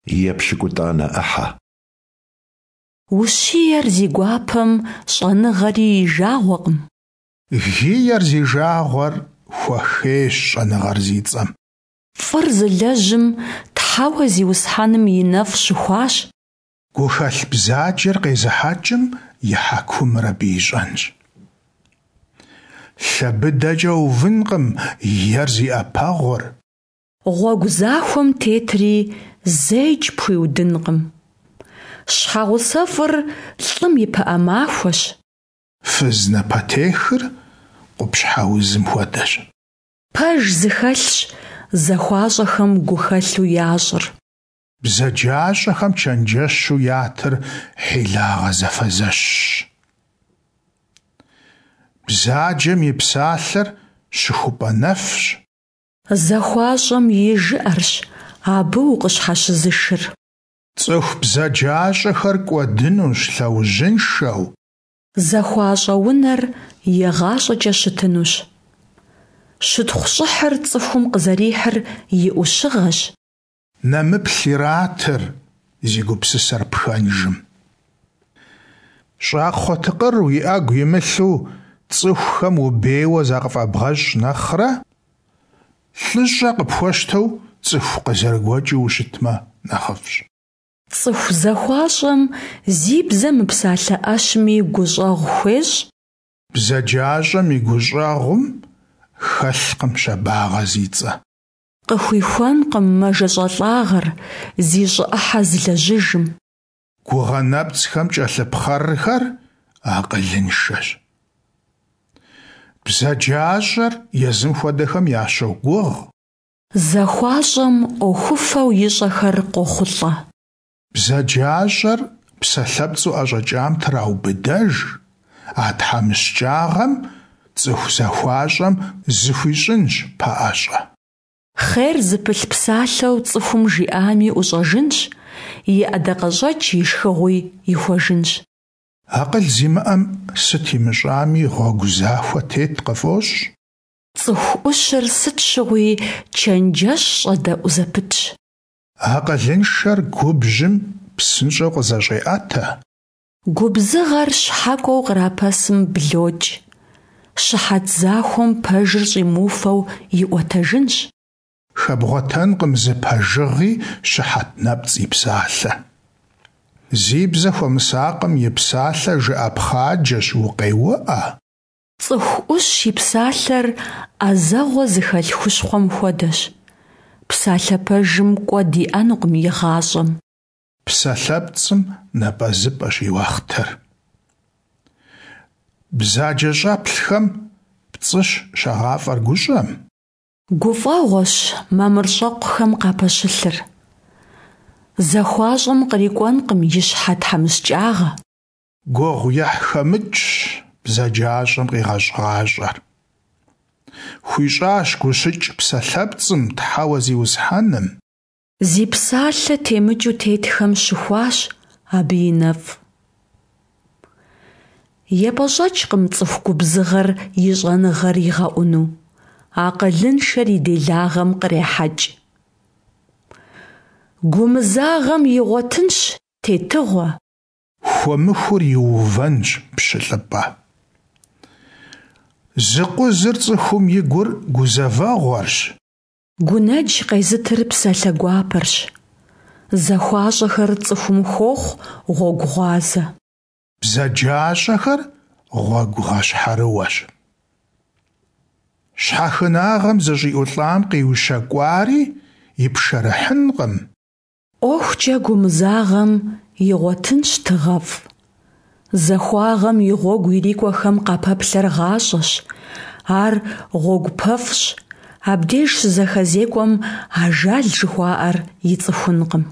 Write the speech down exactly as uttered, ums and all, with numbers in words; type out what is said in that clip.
Епщыкӏутӏанэ ӏыхьэ. Ущиер зи гуапэм щӀэныгъэри и жагъуэкъым. Гиер зи жагъуэр хуэхейщ щӀэныгъэр зи цӀэм. Фӏыр зылэжьым Тхьэуэ Зиусхьэным и нэфӏ щыхуащ. Гухэлъ бзаджэр къезыхьэкӀым и хьэкумыр абы ищӀэнщ. Лъэ быдэкӀэ увынкъым ер зи Ӏэпэгъур. Гъуэгу захуэм тетри зэикӀ пхуиудынкъым. ЩхьэгъусэфӀыр лӀым и пыӀэ махуэщ. Фыз напэтехыр къупщхьэ узым хуэдэщ. Пэж зыхэлъщ захуащӀэхэм гухэлъу ящӀыр. БзаджащӀэхэм чэнджэщу ятыр хьилагъэ зэфэзэщщ. Бзаджэм и псалъэр щыхупӀэ нэфщ. ЗахуащӀэм и жыӀэрщ абы укъыщхьэщызышыр. ЦӀыху бзаджащӀэхэр кӀуэдынущ лъэужьыншэу. ЗахуащӀэ унэр игъащӀэкӀэ щытынущ. Щытхъу-щӀыхьыр цӀыхум къызэрихьыр и Ӏущыгъэщ. Нэмыплъ иратыр зи гупсысэр пхэнжым. ЩӀакхъуэ тыкъыр уи Ӏэгу имылъу цӀыхухэм убейуэ закъыфӀэбгъэщӀ нэхърэ, лӀыщӀэ къыпхуэщтэу цӀыху къызэрыгуэкӀыу ущытмэ нэхъыфӀщ. ЦӀыху захуащӀэм зи бзэ мыпсалъэ Ӏэщми гущӀэгъу хуещӀ. БзаджащӀэм и гущӀэгъум хэлъкъым щабагъэ зи цӀэ. Къыхуихуэнкъым мэжэщӀалӀагъэр зи щӀы Ӏыхьэ зылэжьыжым. Гугъэ нэпцӀхэм кӀэлъыпхъэрхэр акъылыншэщ. БзаджащӀэр езым хуэдэхэм ящогугъ. ЗахуащӀэм Ӏуэхуфэу ищӀэхэр къохъулӀэ. БзаджащӀэр псалъэпцӀу ӀэщӀэкӀам траубыдэж, а тхьэмыщкӀагъэм цӀыху захуащӀэм зыхуищӀынщ пэӀэщӀэ. Хъер зыпылъ псалъэу цӀыхум жиӀами ӀущӀэжынщ, и ӀэдакъэщӀэкӀ и шхыгъуи ихуэжынщ. Акъыл зимыӀэм сыт имыщӀами, гъуэгу захуэ тет къыфӀощӀ. ЦӀыху Ӏущыр сыт щыгъуи чэнджэщ щӀэдэӀу зэпытщ. Акъылыншэр губжьым псынщӀэу къызэщӀеӀэтэ. Губзыгъэр щхьэкӀуэу кърапэсым блокӀ. Щыхьэт захуэм пэжыр щӀимыуфэу иӀуэтэжынщ. Хэбгъуэтэнкъым зы пэжыгъи щыхьэт нэпцӀ и псалъэ. Зи бзэ хуэмысакъым и псалъэ жыӀэпхъаджэщ, укъеуӀэ. ЦӀыху Ӏущ и псалъэр Ӏэзэгъуэ зыхэлъ хущхъуэм хуэдэщ. Псалъэ пэжым кӀуэд иӀэнукъым игъащӀэм. ПсалъэпцӀым напӀэзыпӀэщ и уэхътэр. БзаджэщӀэплъхэм пцӀыщ щагъафӀэр гущӀэм. ГуфӀэгъуэщ мамырщӀэкъухэм къапэщылъыр. ЗахуащӀэм кърикӀуэнкъым и щхьэ тхьэмыщкӀагъэ. Гугъу ехьхэмыкӀщ бзаджащӀэм къигъэщӀ гъащӀэр. ХуищӀащ гущыкӀ псалъэпцӀым Тхьэуэ Зиусхьэным. Зи псалъэ темыкӀыу тетхэм щыхуащ Абы и нэфӀ. ЕпӀэщӀэкӀкъым цӀыху губзыгъэр и щӀэныгъэр игъэӀуну, акъылыншэр и делагъэм кърехьэкӀ. Гумызагъэм игъуэтынщ тетыгъуэ. Хуэмыхур иувэнщ пщылӀыпӀэ. Зыкъузыр цӀыхум и гур гузэвэгъуэрщ. Гунэдж къезытыр псалъэ гуапэрщ. ЗахуащӀэхэр цӀыхум хуохъу гъуэгу гъуазэ. БзаджащӀэхэр гъуэгу гъэщхьэрыуэщ. Щхьэхынагъэм зэщӀиӀулӀам къиущэкӀуари ипшэрыхьынкъым. ӀуэхукӀэ гумызагъэм игъуэтынщ тыгъэфӀ. Захуагъэм и гъуэгу ирикӀуэхэм къапэплъэр гъащӀэщ, ар гъуэгупэфӀщ, абдеж щызэхэзекӀуэм ажал жыхуаӀэр ицӀыхункъым.